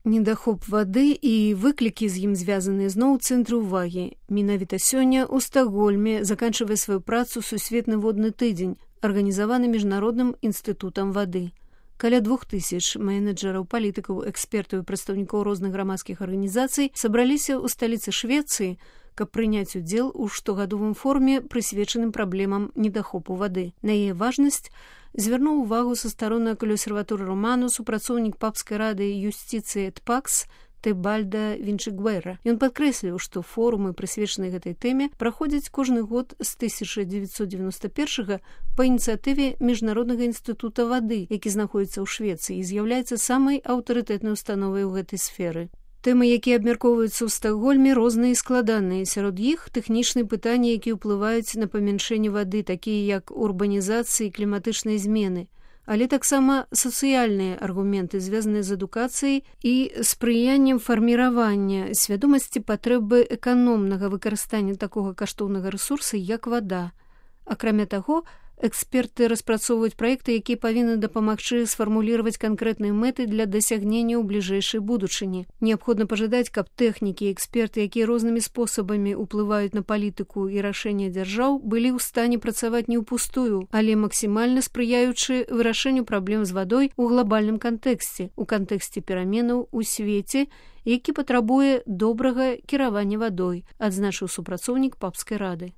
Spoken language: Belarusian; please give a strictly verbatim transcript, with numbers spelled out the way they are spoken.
Недахоп вады і выклікі з ім звязаныя зноў у цэнтры ўвагі. Менавіта сёння ў Стакгольме заканчвае сваю працу сусветны водны тыдзень, арганізаваны міжнародным інстытутам вады. Каля двух тысяч менеджераў, палітыкаў, экспертаў і прадстаўнікоў розных грамадскіх арганізацый сабраліся ў сталіцы Швецыі, каб прыняць удзел у штогадовым форуме, прысвечаным праблемам недахопу вады. На яе важнасць звярнуў увагу са староннай кансерваторы Роману супрацоўнік папскай рады юстыцыі ТПАКС Тебальда Вінчыгвэра. Ён падкрэсліў, што форумы, прысвечаныя гэтай тэме, праходзяць кожны год з тысяча дзевяцьсот дзевяноста першага па ініцыятыве Міжнароднага інстытута вады, які знаходзіцца ў Швецыі і з'яўляецца самай аўтарытэтнай установай у гэтай сферы. Тэмы, якія абмяркоўваюцца ў Стакгольме, розныя і складаныя. Сярод іх тэхнічныя пытанні, якія ўплываюць на памяншэнне вады, такія як урбанізацыя і кліматычныя змены, але таксама сацыяльныя аргументы, звязаныя з адукацыяй і спрыяннем фарміравання свядомасці патрэбы эканомнага выкарыстання такога каштоўнага рэсурса, як вада. Акрамя таго, эксперты распрацоўваюць праекты, якія павінны дапамагчы сфармуліраваць канкрэтныя мэты для дасягнення ў бліжэйшай будучыні. Неабходна пажадаць, каб тэхнікі і эксперты, якія рознымі спосабамі ўплываюць на палітыку і рашэння дзяржаў, былі ў стане працаваць не ўпустую, але максімальна спрыяючы вырашэнню праблем з вадой у глобальным кантэксце, у кантэксце пераменаў у свеце, які патрабуе добрага кіравання вадой, адзначыў супрацоўнік папскай рады.